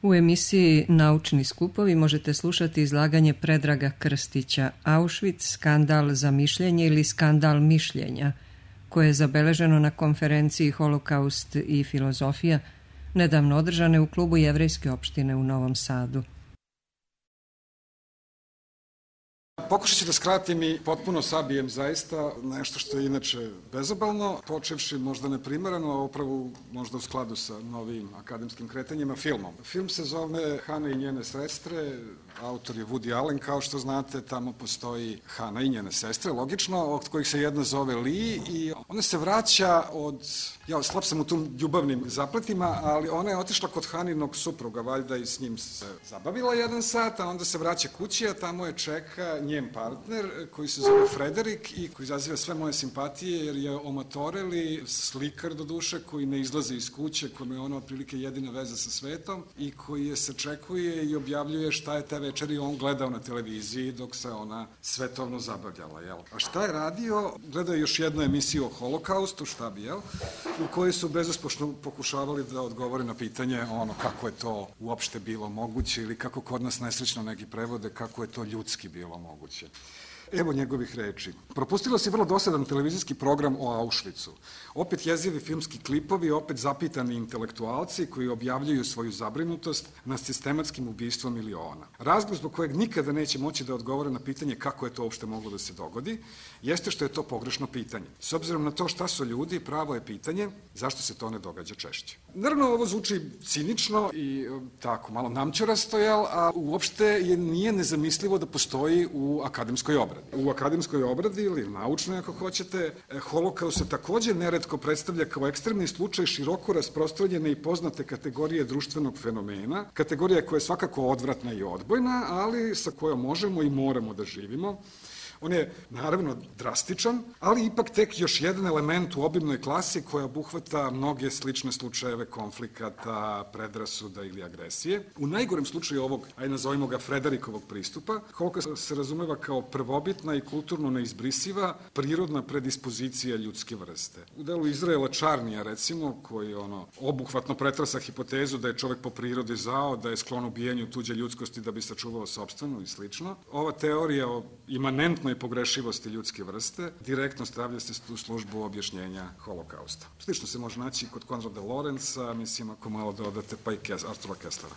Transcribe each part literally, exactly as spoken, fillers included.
U emisiji Naučni skupovi možete slušati izlaganje Predraga Krstića Auschwitz, skandal za mišljenje ili skandal mišljenja, koje je zabeleženo na konferenciji Holokaust i filozofija, nedavno održane u klubu Jevrejske opštine u Novom Sadu. Pokušat ću da skratim i potpuno sabijem zaista nešto što je inače bezobalno, počevši možda neprimereno, a upravo možda u skladu sa novim akademskim kretanjima, filmom. Film se zove Hana i njene sestre, autor je Woody Allen, kao što znate, tamo postoji Hana i njene sestre, logično, od kojih se jedna zove Lee i ona se vraća od, ja slab sam u tom ljubavnim zapletima, ali ona je otišla kod Haninog supruga, valjda i s njim se zabavila jedan sat, a onda se vraća kući, a tamo je čeka njen partner koji se zove Frederik i koji izaziva sve moje simpatije jer je omatoreli slikar do duše koji ne izlazi iz kuće, kome je ona otprilike jedina veza sa svetom i koji je sačekuje i objavljuje šta je te večeri on gledao na televiziji dok se ona svetovno zabavljala, jel? A šta je radio? Gledao je još jednu emisiju o Holokaustu, šta bi, jel? U kojoj su bezuspošno pokušavali da odgovore na pitanje ono kako je to uopšte bilo moguće ili kako kod nas nesrećno neki prevode, kako je to ljudski bilo moguće. Evo njegovih reči. Propustilo se vrlo dosadan televizijski program o Auschwitzu. Opet jezivi filmski klipovi, opet zapitani intelektualci koji objavljuju svoju zabrinutost nad sistematskim ubistvom miliona. Razlog zbog kojeg nikada neće moći da odgovore na pitanje kako je to uopšte moglo da se dogodi, jeste što je to pogrešno pitanje. S obzirom na to šta su ljudi, pravo je pitanje zašto se to ne događa češće. Naravno, ovo zvuči cinično i tako malo namćurasto, jel, a uopšte je, nije nezamislivo da postoji u akademskoj obradi. U akademskoj obradi ili naučnoj, ako hoćete, Holokaust se takođe neretko predstavlja kao ekstremni slučaj široko rasprostranjene i poznate kategorije društvenog fenomena, kategorija koja je svakako odvratna i odbojna, ali sa kojom možemo i moramo da živimo. On je, naravno, drastičan, ali ipak tek još jedan element u obimnoj klasi koja obuhvata mnoge slične slučajeve konflikata, predrasuda ili agresije. U najgorem slučaju ovog, aj nazovimo ga Frederikovog pristupa, Holokaust se razumeva kao prvobitna i kulturno neizbrisiva prirodna predispozicija ljudske vrste. U delu Izraela Čarnija, recimo, koji ono obuhvatno pretrasa hipotezu da je čovek po prirodi zao, da je sklon ubijanju tuđe ljudskosti da bi sačuvao sopstvenu i slično. Ova teorija o imanentnoj pogrešivosti ljudske vrste direktno stavlja se u službu objašnjenja Holokausta. Slično se može naći kod Konrada Lorenza, mislim ako malo dodate pa i Artura Kesslera.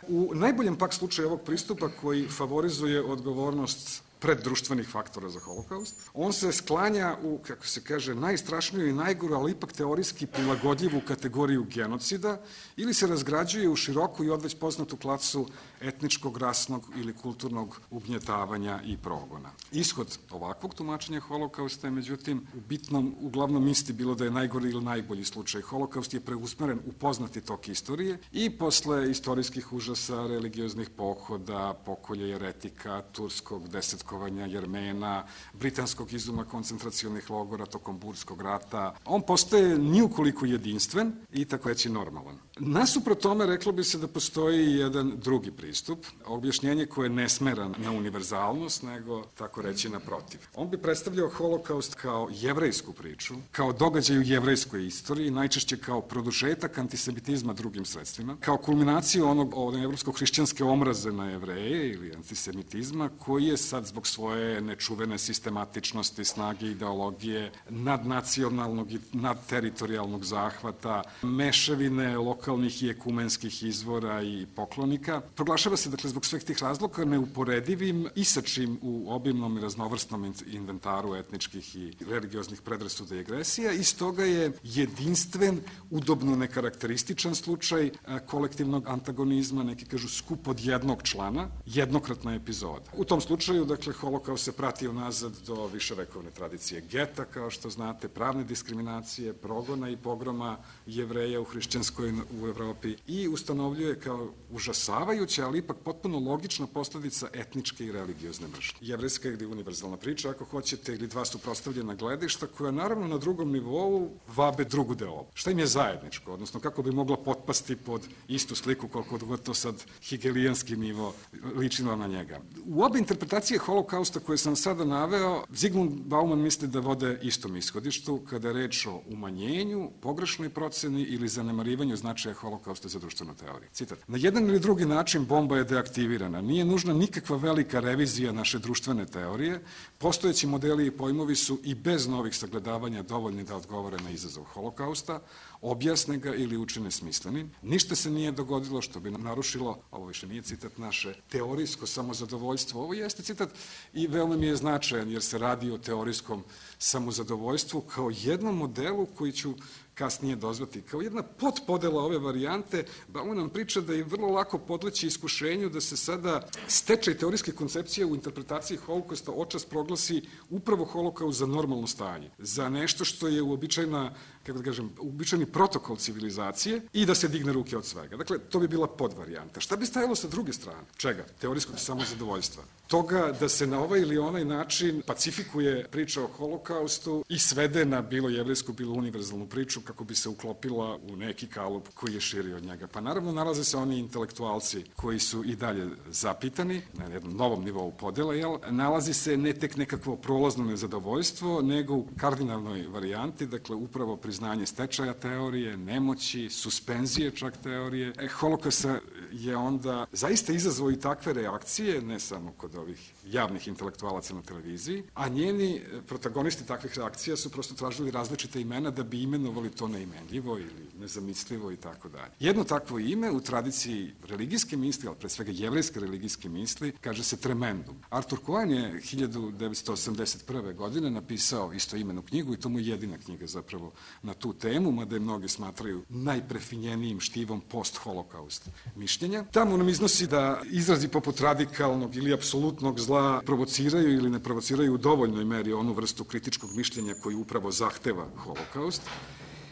U najboljem pak slučaju ovog pristupa koji favorizuje odgovornost preddruštvenih faktora za Holokaust. On se sklanja u, kako se kaže, najstrašniju i najgoru, ali ipak teorijski prilagodljivu kategoriju genocida ili se razgrađuje u široku i odveć poznatu klasu etničkog, rasnog ili kulturnog ugnjetavanja i progona. Ishod ovakvog tumačenja Holokausta je, međutim, u bitnom, uglavnom isti bilo da je najgori ili najbolji slučaj. Holokaust je preusmeren u poznati tok istorije i posle istorijskih užasa, religioznih pohoda, pokolja jeretika, turskog deset Jermena, britanskog izuma koncentracionih logora tokom Burskog rata. On postaje niukoliko jedinstven i tako reći normalan. Nasuprot tome reklo bi se da postoji jedan drugi pristup, objašnjenje koje ne smera na univerzalnost, nego tako reći naprotiv. On bi predstavljao Holokaust kao jevrejsku priču, kao događaj u jevrejskoj istoriji, najčešće kao produžetak antisemitizma drugim sredstvima, kao kulminaciju onog, onog evropsko-hrišćanske omraze na Jevreje ili antisemitizma, koji je sad zbog svoje nečuvene sistematičnosti, snage ideologije, nadnacionalnog i nadteritorijalnog zahvata, mešavine lokalnih i ekumenskih izvora i poklonika. Proglašava se, dakle, zbog svih tih razloga neuporedivim i sa čim u obimnom i raznovrsnom inventaru etničkih i religioznih predrasuda i agresija i stoga je jedinstven, udobno nekarakterističan slučaj kolektivnog antagonizma, neki kažu skup od jednog člana, jednokratna epizoda. U tom slučaju, dakle, Holokaust se prati unazad do viševekovne tradicije geta, kao što znate, pravne diskriminacije, progona i pogroma Jevreja u hrišćanskoj u Evropi i ustanovljuje kao užasavajuća, ali ipak potpuno logična posledica etničke i religiozne mržnje. Jevrejska ili univerzalna priča, ako hoćete, ili dva suprotstavljena gledišta, koja naravno na drugom nivou vabe drugu deobu. Šta im je zajedničko, odnosno kako bi mogla potpasti pod istu sliku, koliko god to sad hegelijanski nivo ličilo na njega. U obe interpretacije Holokausta holokausta koje sam sada naveo, Zygmunt Bauman misli da vode istom ishodištu kada je reč o umanjenju, pogrešnoj proceni ili zanemarivanju značaja holokausta za društvenu teoriju. Citat. Na jedan ili drugi način bomba je deaktivirana. Nije nužna nikakva velika revizija naše društvene teorije. Postojeći modeli i pojmovi su i bez novih sagledavanja dovoljni da odgovore na izazov holokausta, objasne ga ili učine smislenim. Ništa se nije dogodilo što bi narušilo, ovo više nije citat, naše teorijsko samozadovoljstvo. Ovo jeste citat i veoma mi je značajan jer se radi o teorijskom samozadovoljstvu kao jednom modelu koji ću kasnije dozvati. Kao jedna potpodela ove varijante, Bauman nam priča da je vrlo lako podleći iskušenju da se sada stečaj teorijske koncepcije u interpretaciji holokausta očas proglasi upravo holokaust za normalno stanje, za nešto što je uobičajena, kako da kažem, uobičajeni protokol civilizacije i da se digne ruke od svega. Dakle, to bi bila podvarijanta. Šta bi stajalo sa druge strane? Čega? Teorijskog samozadovoljstva. Toga da se na ovaj ili onaj način pacifikuje priča o holokaustu i svede na bilo jevrijsku, bilo univerzalnu priču kako bi se uklopila u neki kalup koji je širi od njega. Pa naravno nalaze se oni intelektualci koji su i dalje zapitani na jednom novom nivou podele, jel? Nalazi se ne tek nekakvo prolazno nezadovoljstvo, nego u kardinalnoj varijanti, dakle upravo priznanje stečaja teorije, nemoći, suspenzije čak teorije. E, holokaust je onda zaista izazvao i takve reakcije, ne samo kod ovih javnih intelektualaca na televiziji, a njeni protagonisti takvih reakcija su prosto tražili različite imena da bi imenovali to neimenljivo ili nezamislivo i tako dalje. Jedno takvo ime u tradiciji religijske misli, ali pre svega jevrejske religijske misli, kaže se tremendum. Arthur Cohen je hiljadu devetsto osamdeset prve. godine napisao istoimenu knjigu i to mu je jedina knjiga zapravo na tu temu, mada je mnogi smatraju najprefinjenijim štivom post-holokaust mišljenja. Tamo nam iznosi da izrazi poput radikalnog ili apsolutnog zla provociraju ili ne provociraju u dovoljnoj meri onu vrstu kritičkog mišljenja koji upravo zahteva holokaust.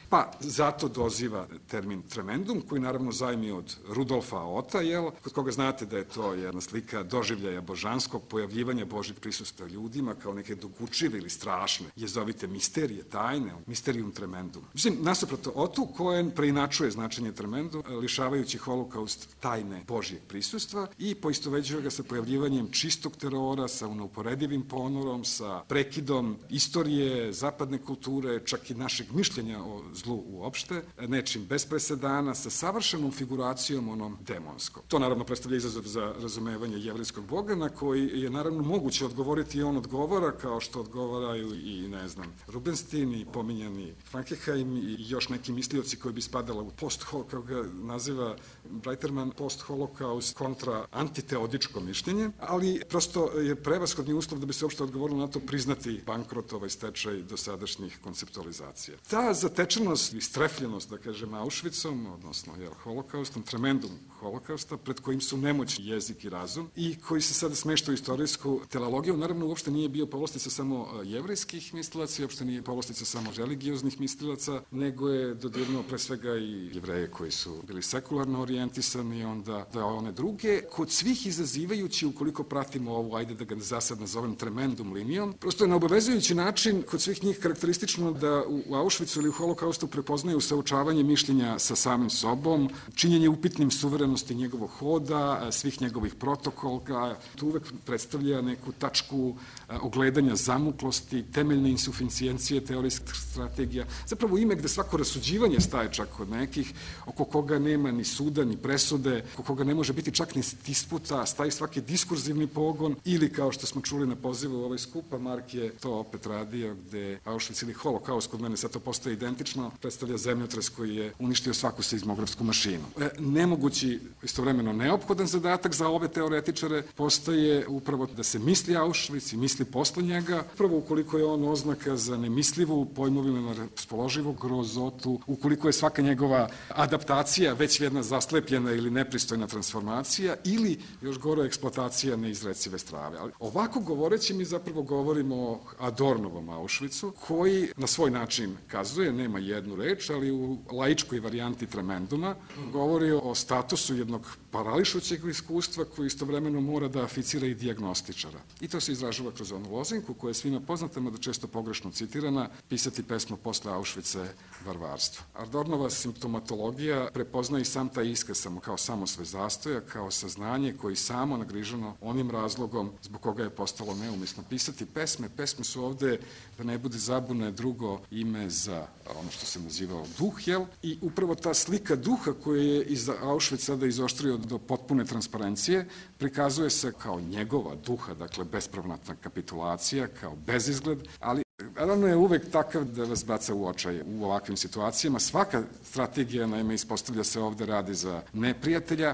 Pa zato doziva termin tremendum, koji naravno zajmi od Rudolfa Ota, jel, kod koga znate da je to jedna slika doživljaja božanskog, pojavljivanja Božjeg prisustva ljudima kao neke dokučive ili strašne, jezovite misterije, tajne, misterium tremendum. Mislim, nasuprot Otu, Cohen preinačuje značenje tremendum, lišavajući holokaust tajne Božjeg prisustva i poistoveđuje ga sa pojavljivanjem čistog terora, sa neuporedivim ponorom, sa prekidom istorije, zapadne kulture, čak i našeg mišljenja o zlu uopšte, nečim bez presedana, sa savršenom figuracijom onom demonskom. To naravno predstavlja izazov za razumevanje jevrijskog boga, na koji je naravno moguće odgovoriti i on odgovara, kao što odgovaraju i, ne znam, Rubenstein i pominjani Frankenheim i još neki mislioci koji bi spadala u post-holokaust, kao ga naziva Breiterman, post-holokaust kontra antiteodičko mišljenje, ali prosto je prevashodni uslov da bi se uopšte odgovorilo na to priznati bankrot, ovaj stečaj dosadašnjih konceptualizacija. Ta zatečenost i strefljenost, da kažem, Auschwitzom, odnosno jel, holokaustom, tremendum holokausta, pred kojim su nemoć jezik i razum i koji se sada smešta u istorijsku teologiju, naravno uopšte nije bio povlastica samo jevrejskih mislilaca, uopšte nije povlastica samo religioznih mislilaca, nego je dodirnuo pre svega i jevreje koji su bili sekularno orijentisani, onda da one druge, kod svih izazivajući, ukoliko pratimo ovu, ajde da ga za sad nazovem tremendum linijom, prosto je na obavezujući način kod svih njih karakteristično da u Auschwitzu ili u holokaustu prepoznaju saučavanje mišljenja sa samim sobom, činjenje upitnim suverenosti njegovog hoda, svih njegovih protokola, tu uvek predstavlja neku tačku ogledanja zamuklosti, temeljne insuficijencije teorijskih strategija, zapravo ime gde svako rasuđivanje staje čak kod nekih, oko koga nema ni suda, ni presude, oko koga ne može biti čak ni disputa, staje svaki diskurzivni pogon, ili kao što smo čuli na pozivu ovaj skupa, Mark je to opet radio, gde Auschwitz ili holokaust, kod mene sad to postoje identično, predstavlja zemljotres koji je uništio svaku seizmografsku mašinu. E, nemogući, istovremeno neophodan zadatak za ove teoretičare postoje upravo da se misli Auschwitz i misli posle njega, upravo ukoliko je on oznaka za nemislivu, pojmovima raspoloživu grozotu, ukoliko je svaka njegova adaptacija već jedna zaslepljena ili nepristojna transformacija ili, još gore, eksploatacija neizrecive strave. Ali ovako govoreći mi zapravo govorimo o Adornovom Auschwitzu, koji na svoj način kazuje, nema jednu reč, ali u laičkoj varijanti tremenduma govori o statusu jednog parališućeg iskustva koji istovremeno mora da aficira i dijagnostičara. I to se izražava kroz onu lozinku koja je svima poznata, mada često pogrešno citirana, pisati pesmu posle Auschwitza je varvarstvo. Adornova simptomatologija prepozna i sam taj iskaz samo kao samosvoj zastoja, kao saznanje koji samo nagriženo onim razlogom zbog koga je postalo neumisno pisati pesme. Pesme su ovde, da ne bude zabune, drugo ime za ono što se nazivao duh, jel? I upravo ta slika duha koja je iz Auschwitz sada izoštrio do potpune transparencije, prikazuje se kao njegova duha, dakle bespravnatna kapitulacija, kao bezizgled, ali naravno je uvek takav da vas baca u očaj u ovakvim situacijama. Svaka strategija, naime, ispostavlja se ovde radi za neprijatelja.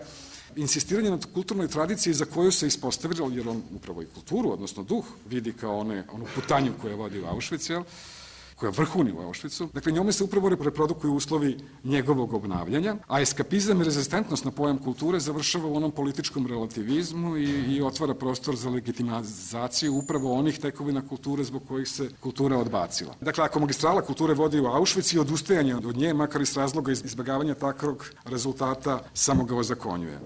Insistiranje na kulturnoj tradiciji za koju se ispostavilo, jer on upravo i kulturu, odnosno duh, vidi kao one, onu putanju koja vodi u Auschwitz, jel? Koja vrhuni u Auschwitzu. Dakle, njome se upravo reprodukuju uslovi njegovog obnavljanja, a eskapizam i rezistentnost na pojam kulture završava u onom političkom relativizmu i, i otvara prostor za legitimizaciju upravo onih tekovina kulture zbog kojih se kultura odbacila. Dakle, ako magistrala kulture vodi u Auschwitz i odustajanje od nje, makar iz razloga izbjegavanja takvog rezultata, samo ga ozakonjuje.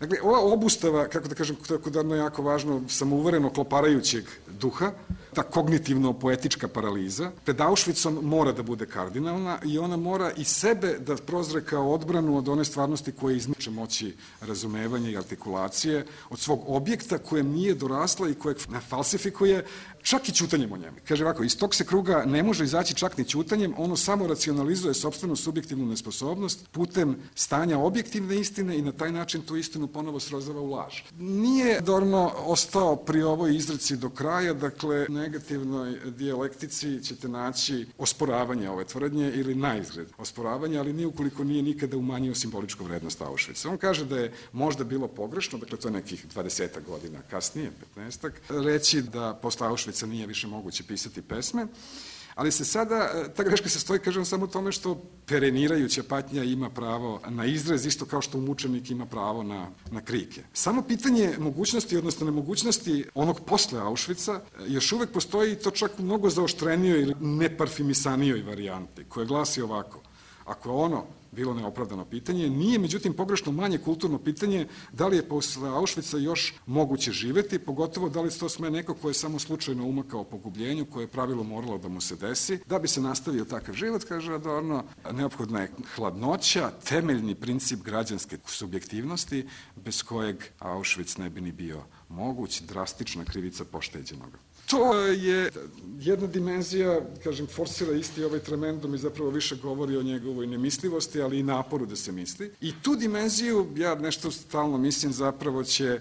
Dakle, ova obustava, kako da kažem, tako da je jako važno, samouvereno kloparajućeg duha, ta kognitivno-poetička paraliza, pred Auschwitzom mora da bude kardinalna i ona mora i sebe da prozre kao odbranu od one stvarnosti koje izmiče moći razumevanja i artikulacije, od svog objekta kojem nije dorasla i kojeg falsifikuje, čak i ćutanjem o njemu. Kaže ovako, iz tog se kruga ne može izaći čak ni ćutanjem, ono samo racionalizuje sopstvenu subjektivnu nesposobnost putem stanja objektivne istine i na taj način tu istinu ponovo srozava u laž. Nije Adorno ostao pri ovoj izreci do kraja, dakle, negativnoj dijalektici ćete naći osporavanje ove tvrdnje ili naizgled osporavanje, ali nije ukoliko nije nikada umanjio simboličku vrednost Auschwitza. On kaže da je možda bilo pogrešno, dakle to je nekih dvadesetak godina kasnije, petnaestak, reći da posle Auschwitza nije više moguće pisati pesme, ali se sada, ta greška se stoji, kažem, samo tome što perenirajuća patnja ima pravo na izraz, isto kao što mučenik ima pravo na, na krike. Samo pitanje mogućnosti, odnosno nemogućnosti onog posle Auschwitza još uvek postoji, to čak u mnogo zaoštrenijoj ili neparfimisanijoj varijanti, koja glasi ovako: ako je ono bilo neopravdano pitanje, nije međutim pogrešno manje kulturno pitanje da li je posle Auschwitza još moguće živeti, pogotovo da li to sme neko ko je samo slučajno umakao pogubljenju, koje je pravilo moralo da mu se desi. Da bi se nastavio takav život, kaže Adorno, neophodna je hladnoća, temeljni princip građanske subjektivnosti, bez kojeg Auschwitz ne bi ni bio moguć, drastična krivica pošteđenoga. To je jedna dimenzija, kažem, forsira isti ovaj tremendum i zapravo više govori o njegovoj nemislivosti, ali i naporu da se misli. I tu dimenziju, ja nešto stalno mislim, zapravo će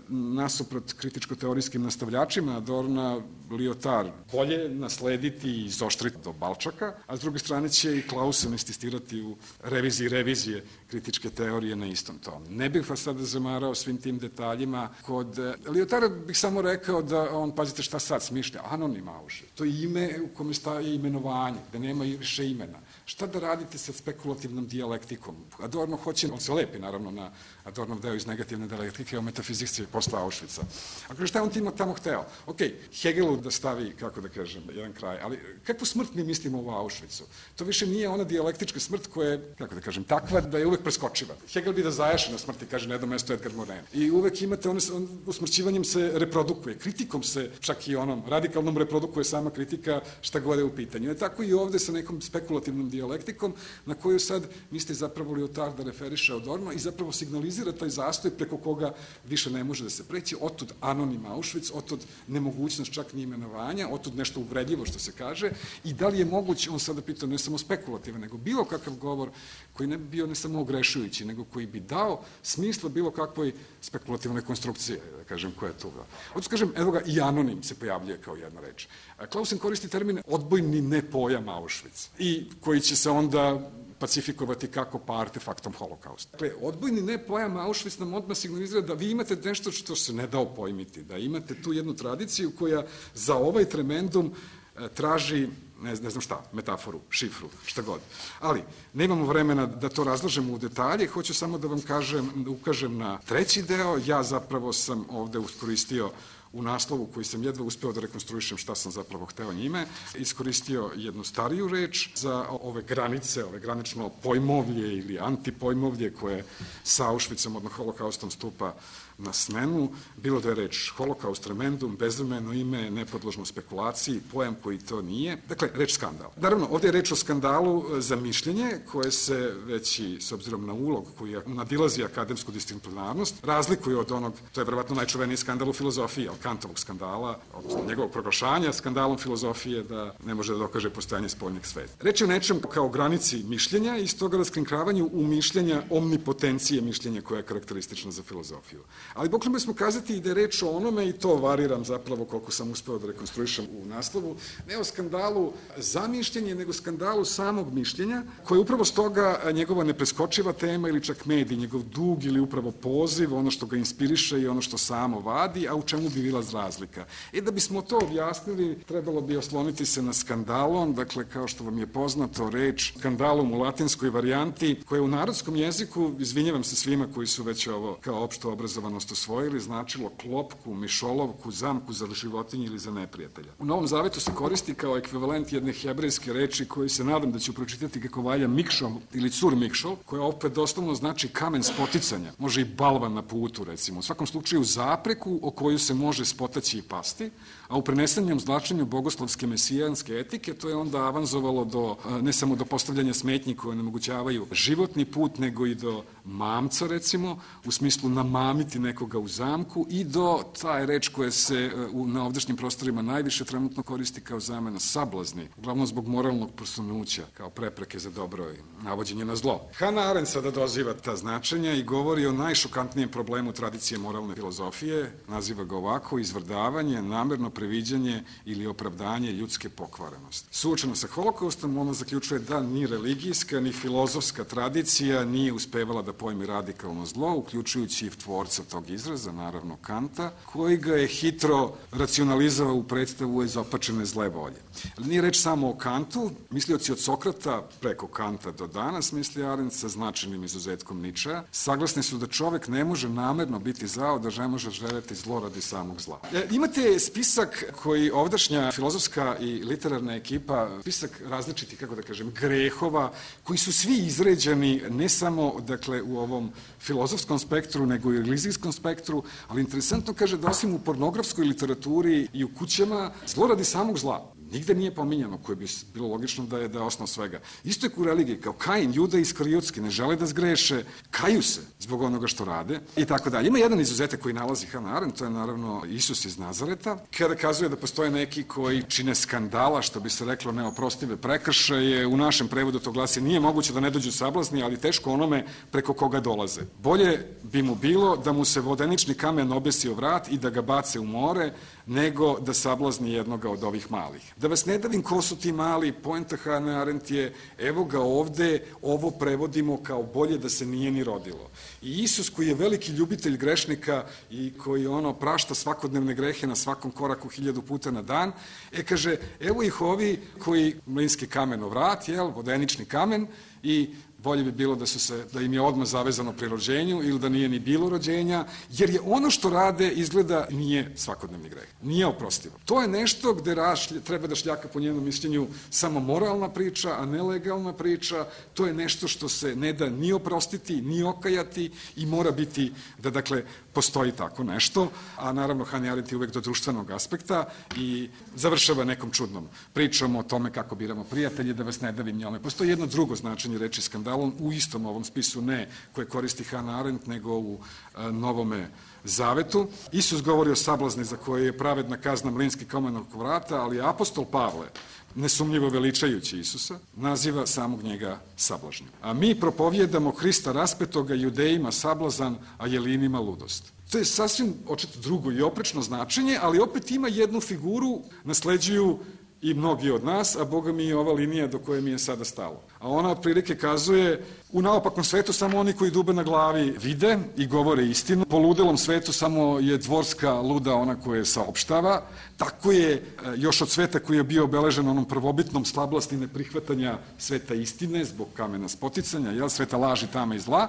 nasuprot kritičko-teorijskim nastavljačima Adorna Lyotard bolje naslediti i izoštriti do Balčaka, a s druge strane će i Clausen insistirati u reviziji revizije kritičke teorije na istom tomu. Ne bih vas sada zamarao svim tim detaljima. Kod Lyotarda bih samo rekao da on, pazite šta sad smišlja, anonim Auschwitz. To je ime u kome staje imenovanje, da nema više imena. Šta da radite sa spekulativnom dijalektikom? Adorno hoće, on se lepi naravno na Adornov deo iz negativne dijalektike o metafizici posle Auschwitza. Ako šta je on tim tamo hteo? Ok, Hegelu da stavi, kako da kažem, jedan kraj, ali kakvu smrt mi mislimo u Auschwitzu? To više nije ona dijalektička smrt koja je, kako da kažem, takva da je uvek preskočiva. Hegel bi da zajaše na smrti, kaže na jednom mestu Edgar Morin. I uvek imate, on, on usmrćivanjem se reprodukuje, kritikom se, čak i onom radikalnom reprodukuje sama kritika šta god je u pitanju. Je tako i ovde sa nekom spekulativnom dijalektikom na koju sad misli zapravo Lyotard da referiše Adorno i zapravo signalizira taj zastoj preko koga više ne može da se preći, otud anonim Auschwitz, otud nemogućnost čak ni imenovanja, otud nešto uvredljivo što se kaže i da li je moguće, on sada pita ne samo spekulativan, nego bilo kakav govor koji ne bi bio ne samo ogrešujući, nego koji bi dao smisla bilo kakvoj spekulativnoj konstrukcije, da kažem, koja je tu. Odnosno, kažem, evo ga, i anonim se pojavljuje kao jedna reč. Clausen koristi termin odbojni ne pojam Auschwitz i koji će se onda pacifikovati kako pa artefaktom holokausta. Dakle, odbojni ne pojam Auschwitz nam odmah signalizira da vi imate nešto što se ne dao pojmiti, da imate tu jednu tradiciju koja za ovaj tremendum traži, ne, ne znam šta, metaforu, šifru, šta god. Ali, nemamo vremena da to razlažemo u detalje, hoću samo da vam kažem, da ukažem na treći deo. Ja zapravo sam ovde uskoristio u naslovu koji sam jedva uspeo da rekonstruišem šta sam zapravo hteo njime, iskoristio jednu stariju reč za ove granice, ove granično pojmovlje ili antipojmovlje koje sa Auschwitzom, odnosno holokaustom stupa na smenu, bilo da je reč holokaust, remendum, bezvremeno ime, nepodložno spekulaciji, pojam koji to nije. Dakle, reč skandal. Naravno, ovdje je reč o skandalu za mišljenje koje se već i s obzirom na ulog koji nadilazi akademsku disciplinarnost, razlikuje od onog, to je verovatno najčuveniji skandal u filozofiji, ali Kantovog skandala, odnosno njegovog proglašanja skandalom filozofije da ne može da dokaže postojanje spoljnog sveta. Reč je o nečem kao granici mišljenja i stoga raskrinkravanju u mišljenja omnipotencije mišljenja koja je karakteristična za filozofiju. Ali bukvalno smo kazati i da je reč o onome, i to variram zapravo koliko sam uspeo da rekonstruišem u naslovu, ne o skandalu za mišljenje, nego skandalu samog mišljenja, koji je upravo stoga njegova nepreskočiva tema ili čak medij, njegov dug ili upravo poziv, ono što ga inspiriše i ono što samo vadi, a u čemu bi bila razlika. E da bismo to objasnili, trebalo bi osloniti se na skandalon, dakle kao što vam je poznato reč skandalum u latinskoj varijanti, koja u narodskom jeziku, izvinjavam se svima koji su već ovo kao opšto obrazovanost osvojili, značilo klopku, mišolovku, zamku za životinje ili za neprijatelja. U Novom Zavetu se koristi kao ekvivalent jedne hebrejske reči koju se nadam da ću pročitati kako valja mikšol ili cur mikšol, koja opet doslovno znači kamen spoticanja. Može i balvan na putu, recimo. U svakom slučaju zapreku o koju se može spotaći i pasti, a u prenesenjem značenju bogoslovske mesijanske etike to je onda avanzovalo do, ne samo do postavljanja smetnji koje onemogućavaju životni put, nego i do mamca, recimo, u smislu namamiti nekoga u zamku i do taj reč koja se na ovdašnjim prostorima najviše trenutno koristi kao zamena sablazni, uglavnom zbog moralnog prosunuća, kao prepreke za dobro i navođenje na zlo. Hannah Arendt sada doziva ta značenja i govori o najšokantnijem problemu tradicije moralne filozofije, naziva ga ovako: izvrdavanje, namerno previđanje ili opravdanje ljudske pokvarenosti. Suočeno sa holokaustom, ona zaključuje da ni religijska, ni filozofska tradicija nije uspevala da pojmi radikalno zlo, uključujući i tvorca tog izraza, naravno Kanta, koji ga je hitro racionalizovao u predstavu izopačene zle volje. Ali nije reč samo o Kantu, mislioci od Sokrata preko Kanta do danas, misli Arendt, sa značajnim izuzetkom Ničea, saglasni su da čovek ne može namerno biti zao, da ne može želeti zlo radi samog zla. E, imate spisak koji ovdašnja filozofska i literarna ekipa, spisak različitih, kako da kažem, grehova, koji su svi izređeni ne samo, dakle, u ovom filozofskom spektru, nego i u religijskom spektru, ali interesantno kaže da osim u pornografskoj literaturi i u kućama, zlo radi samog zla nigde nije pominjano, koje bi bilo logično da je, da je osnov svega. Isto je u religiji, kao Kain, Juda Iskarijotski, ne žele da zgreše, kaju se zbog onoga što rade i tako dalje. Ima jedan izuzetak koji nalazi Hannah Arendt, to je naravno Isus iz Nazareta, kada kazuje da postoje neki koji čine skandala, što bi se reklo neoprostive prekršaje. U našem prevodu to glasi: nije moguće da ne dođu sablazni, ali teško onome preko koga dolaze. Bolje bi mu bilo da mu se vodenični kamen obesi o vrat i da ga bace u more, nego da sablazni jednoga od ovih malih. Da vas ne davim ko su ti mali, poenta Hannah Arendt je: evo ga ovde, ovo prevodimo kao bolje da se nije ni rodilo. I Isus, koji je veliki ljubitelj grešnika i koji ono prašta svakodnevne grehe na svakom koraku hiljadu puta na dan, e kaže, evo ih ovi koji mlinski kamen o vrat, jel, vodenični kamen, i bolje bi bilo da, su se, da im je odmah zavezano pri rođenju ili da nije ni bilo rođenja, jer je ono što rade izgleda nije svakodnevni greh, nije oprostivo. To je nešto gde rašlje, treba da šljaka po njenom mišljenju samo moralna priča, a ne legalna priča. To je nešto što se ne da ni oprostiti, ni okajati i mora biti da, dakle, postoji tako nešto, a naravno Hannah Arendt je uvek do društvenog aspekta i završava nekom čudnom pričom o tome kako biramo prijatelje, da vas ne davim njome. Postoji jedno drugo značenje reči skandalon u istom ovom spisu, ne koje koristi Hannah Arendt, nego u a, Novome Zavetu. Isus govori o sablazni za koje je pravedna kazna mlinski kamen oko vrata, ali apostol Pavle, nesumnjivo veličajući Isusa, naziva samog njega sablažnjim. A mi propovjedamo Hrista raspetoga, Judejima sablazan, a Jelinima ludost. To je sasvim očito drugo i oprečno značenje, ali opet ima jednu figuru, nasleđuju i mnogi od nas, a Boga mi je ova linija do koje mi je sada stalo. A ona otprilike kazuje: u naopakom svetu samo oni koji dube na glavi vide i govore istinu, po ludelom svetu samo je dvorska luda ona koja je saopštava. Tako je još od sveta koji je bio obeležen onom prvobitnom slablasti neprihvatanja sveta istine zbog kamena spoticanja, jel, sveta laži, tame i zla.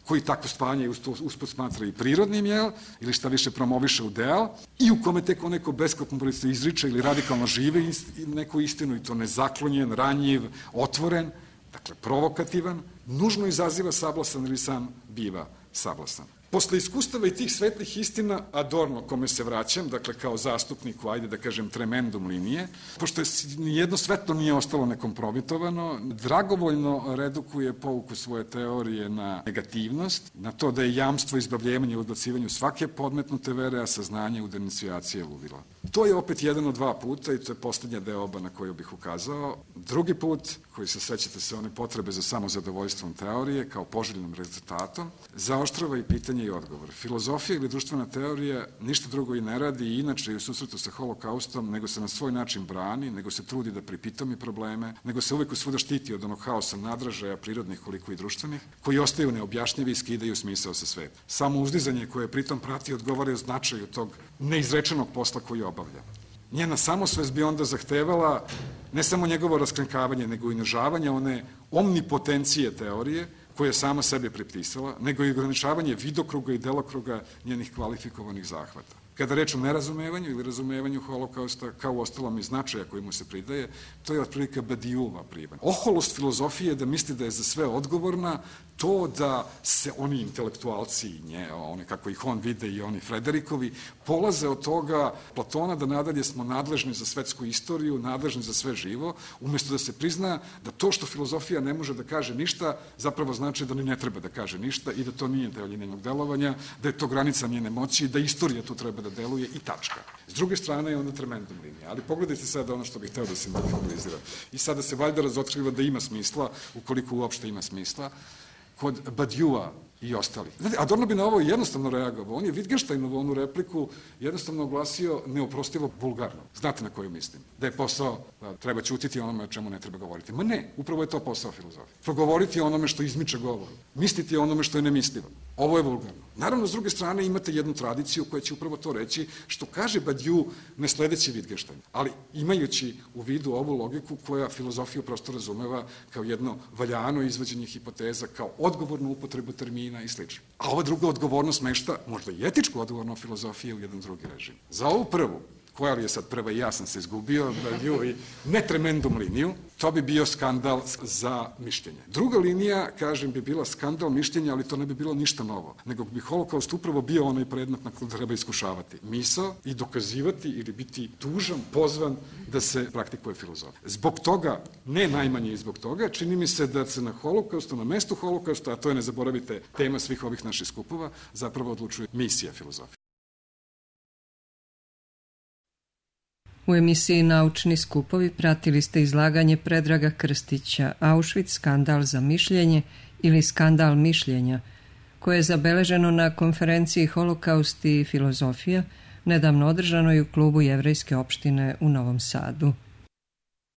koji takvo spajanje usput smatra i prirodnim, jel, ili šta više promoviše ideal, i u kome tek onaj ko beskompromisno izriče ili radikalno žive neku istinu, i to nezaklonjen, ranjiv, otvoren, dakle provokativan, nužno izaziva sablasan ili sam biva sablasan. Posle iskustava i tih svetlih istina, Adorno, kome se vraćam, dakle kao zastupniku, ajde da kažem, tremendum linije, pošto je nijedno svetlo nije ostalo nekompromitovano, dragovoljno redukuje pouku svoje teorije na negativnost, na to da je jamstvo izbavljivanja u odbacivanju svake podmetnute vere, a saznanje u denuncijaciji ludila. To je opet jedan od dva puta i to je poslednja deoba na koju bih ukazao. Drugi put, koji se sećate se one potrebe za samozadovoljstvom teorije kao poželjnom rezultatom, zaoštrava i pitanje i odgovor. Filozofija ili društvena teorija ništa drugo i ne radi i inače i u susretu sa holokaustom, nego se na svoj način brani, nego se trudi da pripitomi probleme, nego se uvek svuda štiti od onog haosa nadražaja prirodnih koliko i društvenih, koji ostaju neobjašnjivi i skidaju smisao sa sveta. Samo uzdizanje koje pritom prati odgovaraju značaju tog neizrečenog posla koji obavlja. Njena samosvest bi onda zahtevala ne samo njegovo raskrinkavanje, nego i unižavanje one omnipotencije teorije koje je sama sebe pripisala, nego i ograničavanje vidokruga i delokruga njenih kvalifikovanih zahvata. Kada reč o nerazumevanju ili razumevanju holokausta, kao ostalom i značaja koji mu se pridaje, to je otprilike Badiouva privan. Oholost filozofije da misli da je za sve odgovorna, to da se oni intelektualci, nje, one kako ih on vide i oni Frederikovi, polaze od toga Platona da nadalje smo nadležni za svetsku istoriju, nadležni za sve živo, umjesto da se prizna da to što filozofija ne može da kaže ništa, zapravo znači da ni ne treba da kaže ništa i da to nije deo njenog delovanja, da je to granica njene moći, da istorija tu treba da deluje i tačka. S druge strane je onda tremendum linija. Ali pogledajte sada ono što bih hteo da se simbolizira. I sada se valjda razotkriva da ima smisla, ukoliko uopšte ima smisla, kod Badioua i ostali. Znate, Adorno bi na ovo jednostavno reagovao. On je Wittgensteinovu onu repliku jednostavno oglasio neoprostivo vulgarno. Znate na koju mislim? Da je posao, da treba ćutiti onome o čemu ne treba govoriti. Ma ne, upravo je to posao filozofije. Progovoriti o onome što izmiče govoru. Misliti o onome što je nemislivo. Ovo je vulgarno. Naravno, s druge strane, imate jednu tradiciju koja će upravo to reći, što kaže Badiou ne sledeći Wittgenstein, ali imajući u vidu ovu logiku koja filozofiju prosto razumeva kao jedno valjano izvođenje hipoteza, kao odgovornu upotrebu termina i slično. A ova druga odgovornost mešta, možda i etičku odgovornu filozofiju u jedan drugi režim. Za ovu prvu, koja li je sad prva i ja sam se izgubio, Badiou i ne tremendum liniju, to bi bio skandal za mišljenje. Druga linija, kažem, bi bila skandal mišljenja, ali to ne bi bilo ništa novo, nego bi holokaust upravo bio onaj predmet na koji treba iskušavati misao i dokazivati ili biti tužan, pozvan da se praktikuje filozofija. Zbog toga, ne najmanje i zbog toga, čini mi se da se na holokaustu, na mestu holokausta, a to je, ne zaboravite, tema svih ovih naših skupova, zapravo odlučuje misija filozofije. U emisiji Naučni skupovi pratili ste izlaganje Predraga Krstića Auschwitz, skandal za mišljenje ili skandal mišljenja, koje je zabeleženo na konferenciji Holokaust i filozofija, nedavno održanoj u klubu Jevrejske opštine u Novom Sadu.